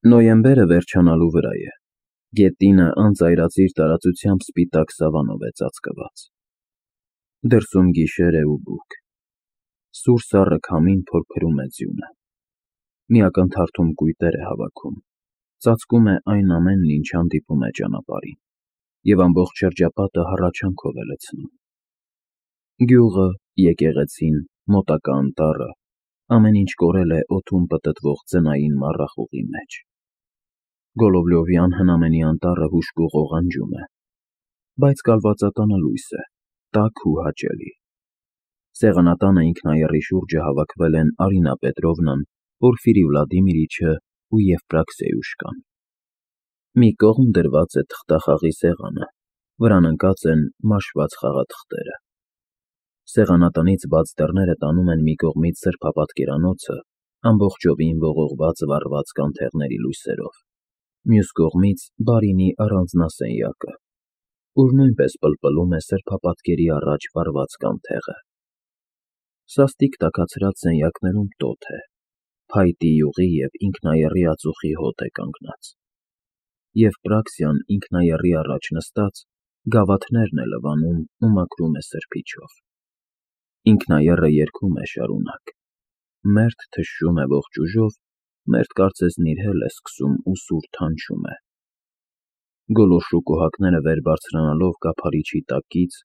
Նոյեմբերը վերջանալու վրա է։ Գետինը անծայրածիր տարածությամբ սպիտակ սավանով է ծածկված։ Դրսում գիշեր է ու բուք։ Սուր սառը քամին փորփրում է ձյունը։ Մի ակնթարթում կույտեր է հավաքում, ծածկում է այն ամենն, ինչ հանդիպում է ճանապարհին, և ամբողջ շրջապատը հառաչանքով է լցնում։ Գյուղը, եկեղեցին, մոտակա անտառը, ամեն ինչ կորել է օդում պտտվող ձնային մառախուղի մեջ։ Գոլովլյովյան հնամենի անտառը հուժկու ղողանջում է, բայց կալվածատանը լույս է, տաք ու հաճելի։ Սեղանատանը ինքնաեռի շուրջը հավաքվել են Արինա Պետրովնան, Պորֆիրի Վլադիմիրիչը ու Եվպրաքսիուշկան։ Մի կողմ դրված է թղթախաղի սեղանը, վրան ընկած են մաշված խաղաթղթերը։ Սեղանատնից բաց դռները տանում են մի կողմից սրբապատկերանոցը, ամբողջովին ողողված վառված կանթեղների լույսերով, մյուս կողմից բարինի առանձնասենյակը, ուր նույնպես պլպլում է սրբապատկերի առաջ վառված կանթեղը։ Սաստիկ տաքացրած սենյակներում տոթ է, փայտի յուղի և ինքնաեռի ածուխի հոտ է կանգնած։ Եվպրաքսիան ինքնաեռի առաջ նստած գավաթներն է լվանում ու մաքրում է սրբիչով։ Ինքնաեռը երգում է շարունակ, մերթ թշում է ողջ ուժով, մերթ կարծես նիրհել է սկսում ու սուր թանչում է։ Գոլորշու կոհակները վեր բարձրանալով կափարիչի տակից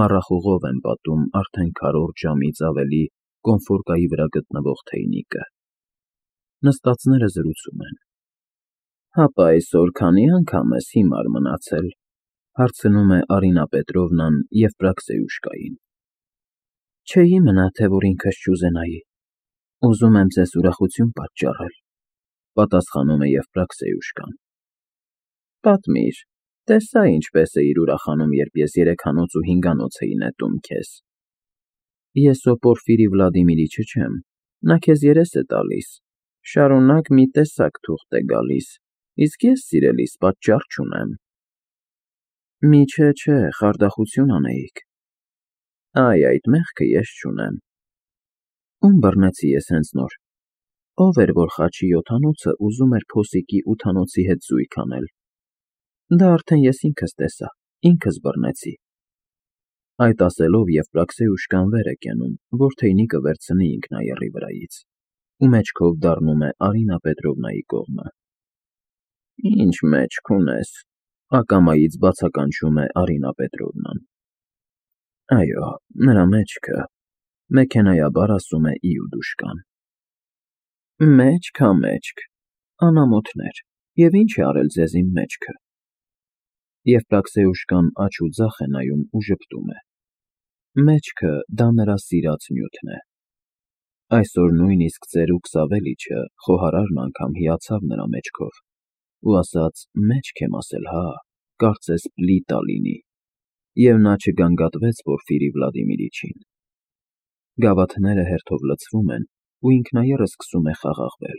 մառախուղով են պատում արդեն քառորդ ժամից ավելի կոնֆորկայի վրա գտնվող թեյնիկը։ Նստածները զրուցում են։ Հապա այսօր քանի անգամ ես հիմար մնացել, հարցնում է Արինա Պետրովնան Եվպրաքսիուշկային։ Չէի մնա, թե որ ինքս չուզենայի, ուզում եմ ձեզ ուրախություն պատճառել, պատասխանում է Եվպրաքսիուշկան։ Պատմիր, տեսա ինչպես էիր ուրախանում, երբ ես 3-անոց ու 5-անոց էի նետում քեզ։ Ես ո Պորֆիրի Վլադիմիրիչը չեմ, նա քեզ երես է տալիս, շարունակ մի տեսակ թուղթ է գալիս, իսկ ես, սիրելիս, պատճառ չունեմ։ Չէ, խարդախություն անեիք։ Այ այդ մեղքը ես չունեմ։ Ում բռնեցի ես հենց նոր։ Ով էր, որ խաչի 7-անոցը ուզում էր փոսիկի 8-անոցի հետ զույգ անել։ Դա արդեն ես ինքս տեսա, ինքս բռնեցի։ Այդ ասելով Եվպրաքսիուշկան վեր է կենում, որ թեյնիկը վերցնի ինքնաեռի վրայից, ու մեջքով դառնում է Արինա Պետրովնայի կողմը։ Ինչ մեջք ունես, ակամայից բացականչում է Արինա Պետրովնան։ Այո, նրա մեջքը, մեքենայաբար ասում է Իուդուշկան։ Մեջք հա մեջք, անամոթներ, և ինչ է արել ձեզ իմ մեջքը։ Եվպրաքսիուշկան աջ ու ձախ է նայում ու ժպտում է։ Մեջքը դա նրա սիրած նյութն է։ Այսօր նույնիսկ ծերուկ Սավելիչը, խոհարարն անգամ հիացավ նրա մեջքով ու ասաց. մեջք եմ ասել, հա, կարծես պլիտա լինի, և նա չգանգատվեց Պորֆիրի Վլադիմիրիչին։ Գավաթները հերթով լցվում են, ու ինքնաեռը սկսում է խաղաղվել։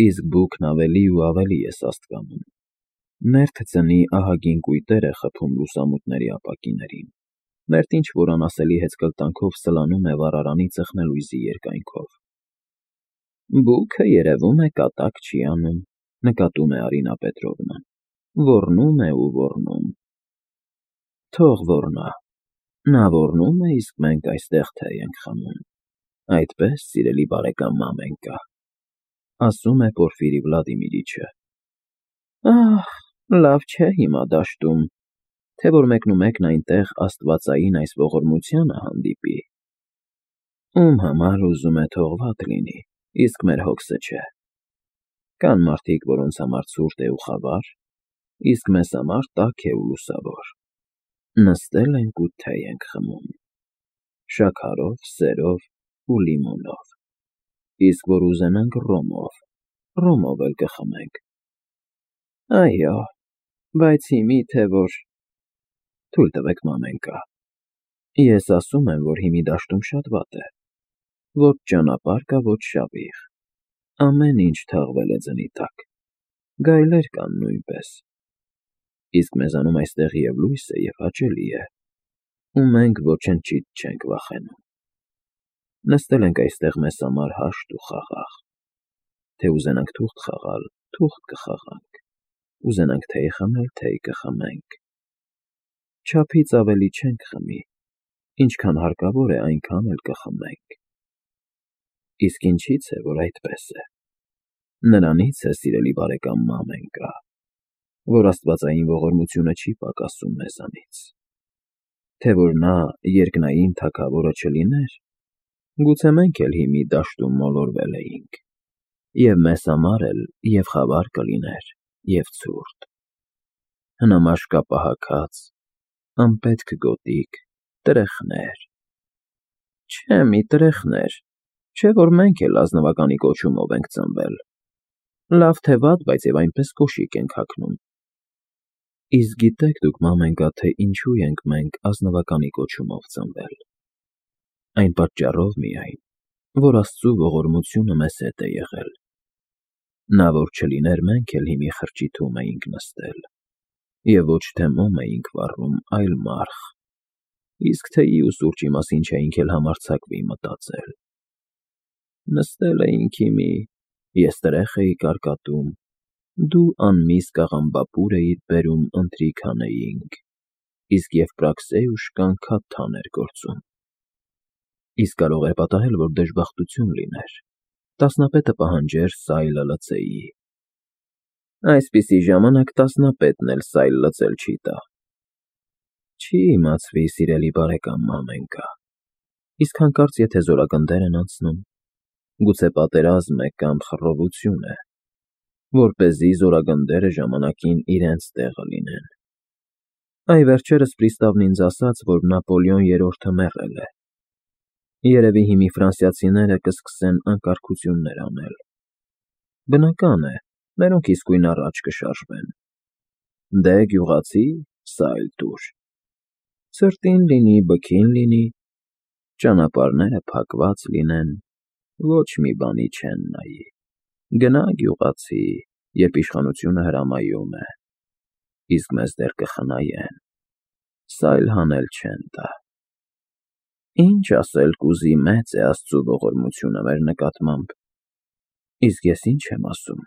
Իսկ բուքն ավելի ու ավելի է սաստկանում։ Մերթ ձնի ահագին կույտեր է խփում լուսամուտների ապակիներին, մերթ ինչ-որ անասելի հեծկլտանքով սլանում է վառարանի ծխնելույզի երկայնքով։ Բուքը երևում է կատակ չի անում, նկատում է Արինա Պետրովնան, ոռնում է ու ոռնում։ Թող ոռնա, նա ոռնում է, իսկ մենք այստեղ թեյ ենք խմում, այդպես, սիրելի բարեկամ մամենկա, ասում է Պորֆիրի Վլադիմիրիչը։ Ահ, լավ չէ հիմա դաշտում, թե որ մեկնումեկն այնտեղ աստվածային այս ողորմությանը հանդիպի։ Ում համար ուզում է թող վատ լինի, իսկ մեր հոգսը չէ։ Կան մարդիկ, որոնց համար ցուրտ է ու խավար, իսկ մեզ համար տաք է ու լուսավոր։ Նստել ենք ու թեյ ենք խմում, շաքարով, սերով ու լիմոնով, իսկ որ ուզենանք ռոմով էլ կխմենք։ Այո, բայց հիմի թե որ… Թույլ տվեք, մամենկա, ես ասում եմ, որ հիմի դաշտում շատ վատ է, ոչ ճանապարհ կա, ոչ շավիղ, ամեն ինչ թաղվել է ձնի տակ, գայլեր կան նույնպես, իսկ մեզանում այստեղ և լույս է, և հաճելի է, ու մենք ոչնչից չենք վախենում։ Նստել ենք այստեղ մեզ համար հաշտ ու խաղաղ։ թե ուզենանք թուղթ խաղալ, թուղթ կխաղանք, ուզենանք թեյ խմել, թեյ կխմենք։ Չափից ավելի չենք խմի, ինչքան հարկավոր է, այնքան էլ կխմենք։ Իսկ ինչի՞ց է, որ այդպես է։ Նրանից է, սիրելի բարեկամ Մամենկա, որ աստվածային ողորմությունը չի պակասում մեզանից, թե որ նա երկնային թագավորը չլիներ, գուցե մենք էլ հիմի դաշտում մոլորվել էինք, և մեզ համար էլ և խավար կլիներ, և ցուրտ, հնամաշկապահակած, անպետք գոտիք, տրեխներ։ Չէ, մի տրեխներ, չէ որ մենք էլ ազնվականի կոչումով ենք ծնվել, լավ թե վատ, բայց և այնպես կոշիկ ենք հագնում։ Իսկ գիտե՞ք դուք, Մամենկա, թե ինչու ենք մենք ազնվականի կոչումով ծնվել։ Այն պատճառով միայն, որ Աստծու ողորմությունը մեզ հետ է եղել։ Նա որ չլիներ, մենք էլ հիմի խրճիթում էինք նստել, և ոչ թե մոմ էինք վառում, այլ մարխ, իսկ թեյի ու սուրճի մասին չէինք էլ համարձակվի մտածել։ Նստել էինք հիմի, ես տրեխ էի կարկատում, դու անմիս կաղամբապուր էիր բերում ընթրիք անեինք, իսկ Եվպրաքսեյուշկան քաթթան էր գործում։ Իսկ կարող էր պատահել, որ դժբախտություն լիներ, տասնապետը պահանջեր սայլը լցեի։ Այսպիսի ժամանակ տասնապետն էլ սայլ լցել չի տա։ Չի իմացվի, սիրելի բարեկամ Մամենկա, իսկ հանկարծ եթե զորագնդեր են անցնում, գուցե պատերազմ է կամ խռովություն է, որպեսզի զորագնդերը ժամանակին իրենց տեղը լինեն։ Այ վերջերս պրիստավն ինձ ասաց, որ Նապոլեոն III-ը մեռել է։ Երևի հիմի ֆրանսիացիները կսկսեն անկարգություններ անել։ Բնական է, մերոնք իսկույն առաջ կշարժվեն։ Դե գյուղացի, սայլ տուր։ Սրտին լինի, բքին լինի, ճանապարհները փակված լինեն, ոչ մի բանի չեն նայի։ Գնա գյուղացի, երբ իշխանությունը հրամայում է, իսկ մեզ դեռ կխնայեն, սայլ հանել չեն տա։ Ինչ ասել կուզի, մեծ է Աստծու ողորմությունը մեր նկատմամբ, իսկ ես ինչ եմ ասում։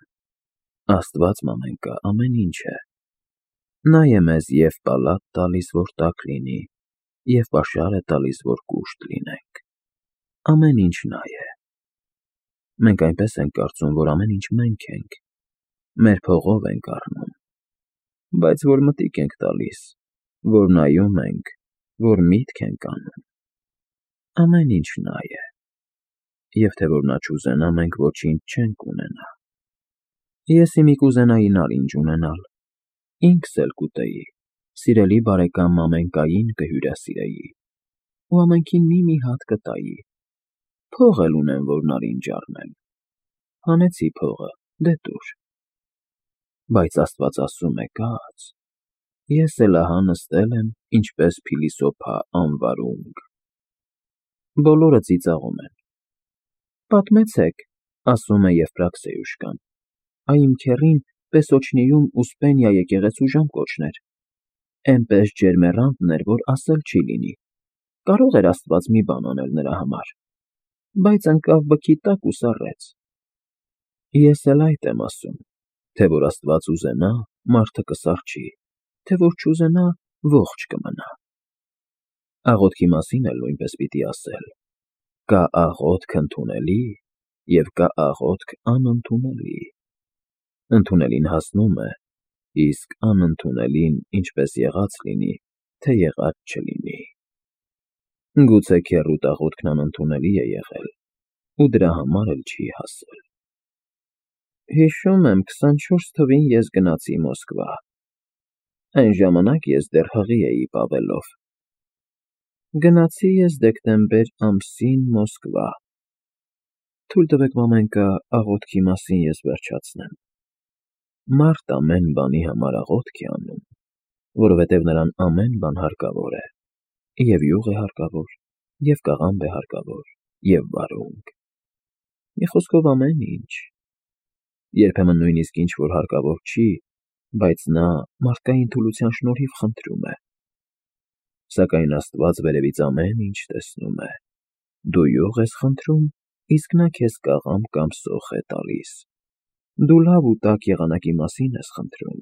Աստված, Մամենկա, ամեն ինչ է։ Նա է մեզ և պալատ տալիս, որ տաք լինի, և պաշար է տալիս, որ կուշտ լինենք։ Ամեն ինչ նա է։ Մենք այնպես ենք կարծում, որ ամեն ինչ մենք ենք, մեր փողով ենք առնում, բայց որ մտիկ ենք տալիս, որ նայում ենք, որ միտք ենք անում։ Ամեն ինչ նա է, և թե որ նա չուզենա, մենք ոչինչ չենք ունենա։ Ես հիմի կուզենայի նարինջ ունենալ, ինքս էլ կուտեի, սիրելի բարեկամ Մամենկային կհյուրասիրեի, ու ամենքին մի հատ կտայի, փող էլ ունեմ, որ նարինջ առնեմ։ Հանեցի փողը, դե տուր։ Բայց Աստված ասում է՝ կաց, ես էլ ահա նստել եմ, ինչպես փիլիսոփա անվարունգ։ Բոլորը ծիծաղում են։ Պատմեցեք, ասում է Եվպրաքսեյուշկան, այ իմ քեռին Պեսոչնիում Ուսպենիա եկեղեցու ժամ կոչներ, էնպես ջերմեռանդն էր, որ ասել չի լինի, կարող էր Աստված մի բան անել նրա համար, բայց ընկավ բքի տակ ու սառեց։ Ես էլ այդ եմ ասում, թե որ Աստված ուզենա, մարդը կսառչի, թե որ չուզենա, ողջ կմնա։ Աղոթքի մասին էլ նույնպես պիտի ասել. կա աղոթք ընդունելի և կա աղոթք անընդունելի։ Ընդունելին հասնում է, իսկ անընդունելին ինչպես եղած լինի, թե եղած չլինի։ Գուցե քեռուդ աղոթքն անընդունելի է եղել, ու դրա համար էլ չի հասել։ Հիշում եմ, 24 թվին ես գնացի Մոսկվա։ Այն ժամանակ ես դեռ հղի էի Պավելով։ Գնացի ես դեկտեմբեր ամսին Մոսկվա։ Թույլ տվեք, Մամենկա, աղոթքի մասին ես վերջացնեմ։ Մարդ ամեն բանի համար աղոթք է անում, որովհետև նրան ամեն բան հարկավոր է, և յուղ է հարկավոր, և կաղամբ է հարկավոր, և վարունգ։ Մի խոսքով ամեն ինչ։ Երբեմն նույնիսկ ինչ-որ հարկավոր չի, բայց նա մարդկային թուլության շնորհիվ խնդրում է։ Սակայն Աստված վերևից ամեն ինչ տեսնում է։ Դու յուղ ես խնդրում, իսկ նա քեզ կաղամբ կամ սոխ է տալիս։ Դու լավ ու տաք եղանակի մասին ես խնդրում,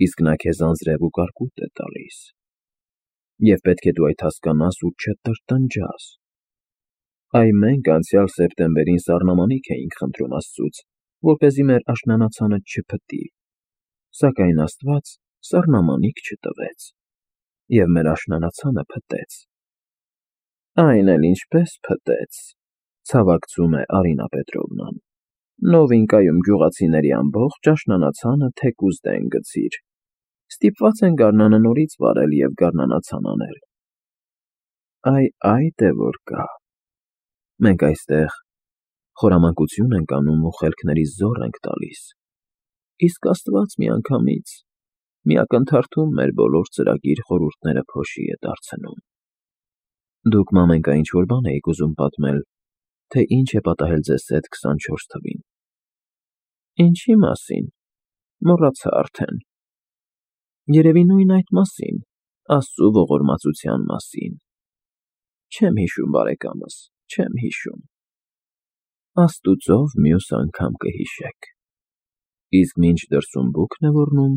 իսկ նա քեզ անձրև ու կարկուտ է տալիս, և պետք է դու այդ հասկանաս ու չտրտնջաս։ Այ մենք անցյալ սեպտեմբերին սառնամանիք էինք խնդրում Աստծուց, որպեսզի մեր աշնանացանը չփտի, սակայն Աստված սառնամանիք չտվեց, և մեր աշնանացանը փտեց։ Այն էլ ինչպես փտեց, ցավակցում է Արինա Պետրովնան։ Նովինկայում գյուղացիների ամբողջ աշնանացանը թեկուզ դեն գցիր։ Ստիպված են գարնանը նորից վարել և գարնանացան անել։ Այդ է որ կա։ Մենք այստեղ խորամանկություն ենք անում ու խելքներիս զոռ ենք տալիս, իսկ Աստված միանգամից մի ակնթարթում մեր բոլոր ծրագիր խորհուրդները փոշի է դարձնում։ Դուք մամենկա ինչ-որ բան էիք ուզում պատմել, թե ինչ է պատահել ձեզ հետ 24 թվին։ Ինչի մասին, մոռացա արդեն։ Երևի նույն այդ մասին, Աստծու ողորմածության մասին։ Չեմ հիշում, բարեկամս, չեմ հիշում։ Աստուծով մյուս անգամ կհիշեք։ Իսկ մինչ դրսում բուքն է ոռնում,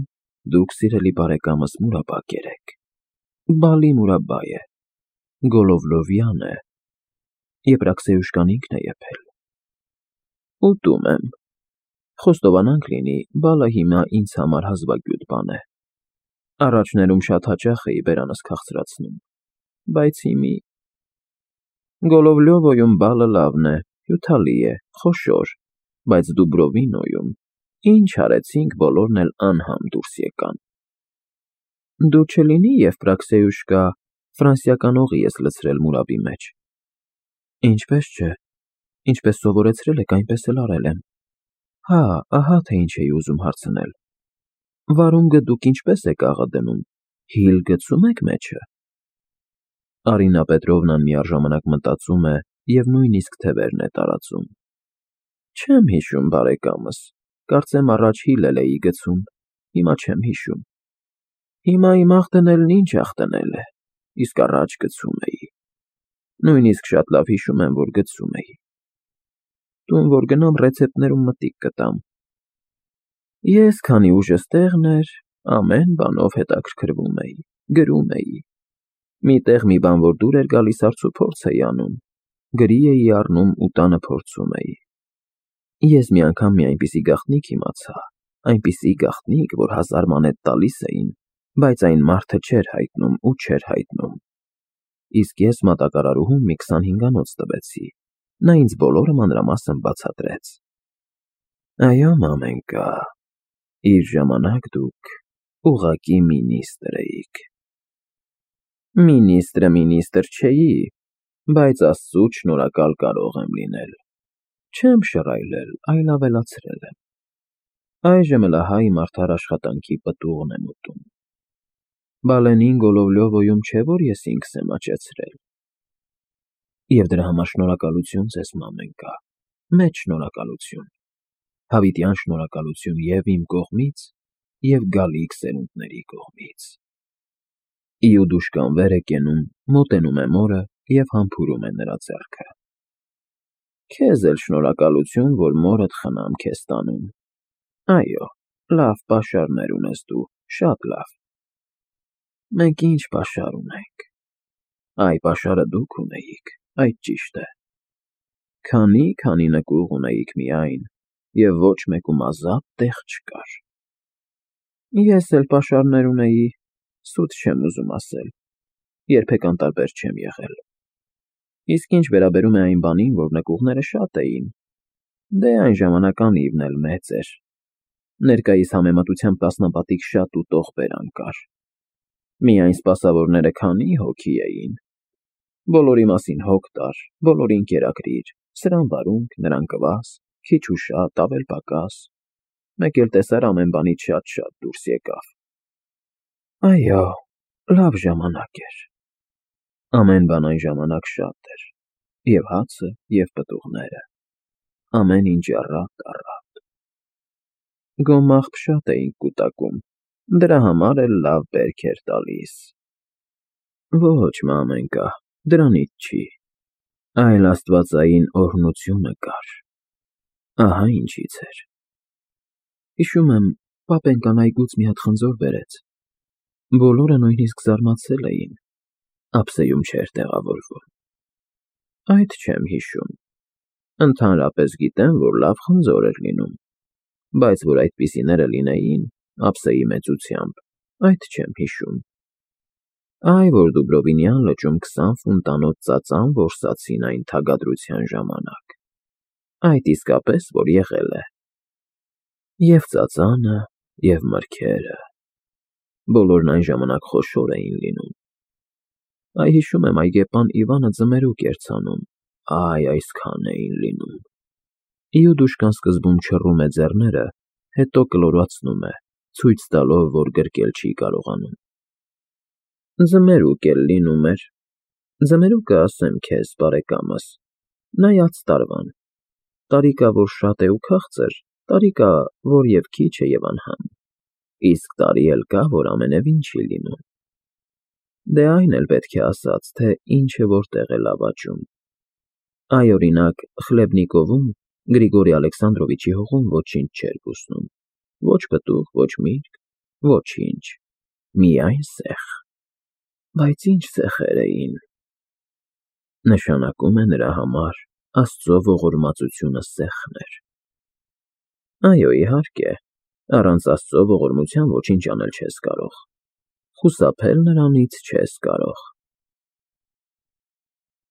դուք, սիրելի բարեկամս, մուրաբակ եղեք։ Բալի մուրաբա է, Գոլովլովյան է, Եփրաքսեյուշկան ինքն է եփել։ Ուտում եմ։ Խոստովանանք լինի, բալը հիմա ինձ համար հազվագյուտ բան է։ Առաջներում շատ հաճախ էի բերանս քաղցրացնում, բայց հիմի… Գոլովլյովոյում բալը լավն է, հյութալի է, խոշոր, բայց Դուբրովինոյում ինչ արեցինք, բոլորն էլ անհամ դուրս եկան։ Դու չլինի Եփրաքսեյուշկա ֆրանսիական օղի ես լցրել մուրաբի մեջ։ Ինչպես չէ, ինչպես սովորեցրել եք, այնպես էլ արել եմ։ Հա, ահա թե ինչ էի ուզում հարցնել։ Վարունգը դուք ինչպես եք աղը դնում, հիլ գցում եք մեջը։ Արինա Պետրովնան միառժամանակ մտածում է և նույնիսկ թևերն է տարածում։ Չեմ հիշում, բարեկամս, կարծեմ առաջ հիլ էլ էի գցում, հիմա չեմ հիշում։ Հիմա իմ աղդնելն ինչ աղդնել է, իսկ առաջ գցում էի։ Նույնիսկ շատ լավ հիշում եմ, որ գցում էի։ Տուն որ գնամ, ռեցեպտներում մտիկ կտամ։ Ես, քանի ուժս տեղն էր, ամեն բանով հետաքրքրվում էի, գրում էի։ Մի տեղ մի բան որ դուր էր գալիս, հարցուփորձ էի անում, գրի էի առնում ու տանը փորձում էի։ Ես մի անգամ մի այնպիսի գաղտնիք իմացա, այնպիսի գաղտնիք, որ 1000 մանետ տալիս էին, բայց այն մարդը չէր հայտնում ու չէր հայտնում։ Իսկ ես մատակարարուհուն մի 25-անոց տվեցի, նա ինձ բոլորը մանրամասն բացատրեց։ Այո, մամենկա, իր ժամանակ դուք ուղղակի մինիստր էիք։ Մինիստրը չէի, բայց Աստծուց շնորհակալ կարող եմ լինել։ Չեմ շռայլել, այլ ավելացրել եմ։ Այժմ էլ ահա իմ արդար աշխատանքի պտուղն եմ ուտում։ Բալենին Գոլովլյովոյում չէ, որ ես ինքս եմ աճեցրել։ Եվ դրա համար շնորհակալություն ձեզ, մամենկա, մեծ շնորհակալություն, հավիտյան շնորհակալություն և իմ կողմից, և գալիք սերունդների կողմից։ Իուդուշկան վեր է կենում, մոտենում է մորը և համբուրում է նրա ձեռքը։ Քեզ էլ շնորհակալություն, որ մորդ խնամ քեզ տանում։ Այո, լավ պաշարներ ունես դու, շատ լավ։ Մենք ինչ պաշար ունենք։ Այ պաշարը դուք ունեիք, այդ ճիշտ է։ Քանի նկուղ ունեիք միայն, և ոչ մեկում ազատ տեղ չկար։ Ես էլ պաշարներ ունեի, սուտ չեմ ուզում ասել, երբեք անտարբեր չեմ եղել։ Իսկ ինչ վերաբերում է այն բանին, որ նկուղները շատ էին, դե այն ժամանակ անիվն էլ մեծ էր։ Ներկայիս համեմատությամբ տասնապատիկ շատ ուտող բերան կար։ Միայն սպասավորները քանի հոգի էին։ Բոլորի մասին հոգ տար, բոլորին կերակրիր, սրան վարունգ, նրան կվաս, քիչ ու շատ, ավել֊պակաս, մեկ էլ տեսար ամեն բանից շատ-շատ դուրս եկավ։ Այո, լավ ժամանակ էր։ Ամեն բան այն ժամանակ շատ էր, և հացը, և պտուղները, ամեն ինչ առատ։ Գոմաղբ շատ էինք կուտակում, դրա համար էլ լավ բերք էր տալիս։ Ոչ, մամենկա, դրանից չի, այլ աստվածային օրհնությունը կար։ Ահա ինչից էր։ Հիշում եմ, պապենկան այգուց մի հատ խնձոր բերեց։ Բոլորը նույնիսկ զարմացել էին, ափսեում չէր տեղավորվում։ Այդ չեմ հիշում։ Ընդհանրապես գիտեմ, որ լավ խնձոր էր լինում, բայց որ այդպիսիները լինեին, ափսեի մեծությամբ, այդ չեմ հիշում։ Այ որ Դուբրովինյան լճում 20 ֆունտանոց ծածան որսացին այն թագադրության ժամանակ։ Այդ իսկապես որ եղել է։ Եվ ծածանը, և մրգերը։ Բոլորն այն ժամանակ խոշոր էին լինում։ Այ հիշում եմ, այգեպան Իվանը ձմերուկ էր ցանում, այ այսքան էին լինում։ Իուդուշկան սկզբում չռում է ձեռները, հետո կլորացնում է, ցույց տալով, որ գրկել չի կարողանում։ Ձմերուկ էլ լինում էր։ Ձմերուկը, ասեմ քեզ, բարեկամս, նայած տարվան։ Տարի կա, որ շատ է ու քաղցր, տարի կա, որ և քիչ է և անհամ, իսկ տարի էլ կա, որ ամենևին չի լինում։ Դե այն էլ պետք է ասած, թե ինչը որտեղ է լավ աճում։ Այ, օրինակ, Խլեբնիկովում, Գրիգորի Ալեքսանդրովիչի հողում ոչինչ չէր բուսնում, ոչ պտուղ, ոչ միրգ, ոչինչ, միայն սեխ։ Բայց ինչ սեխեր էին։ Նշանակում է նրա համար Աստծո ողորմածությունը սեխն էր։ Այո, իհարկե, առանց Աստծո ողորմության ոչինչ անել չես կարող, խուսափել նրանից չես կարող։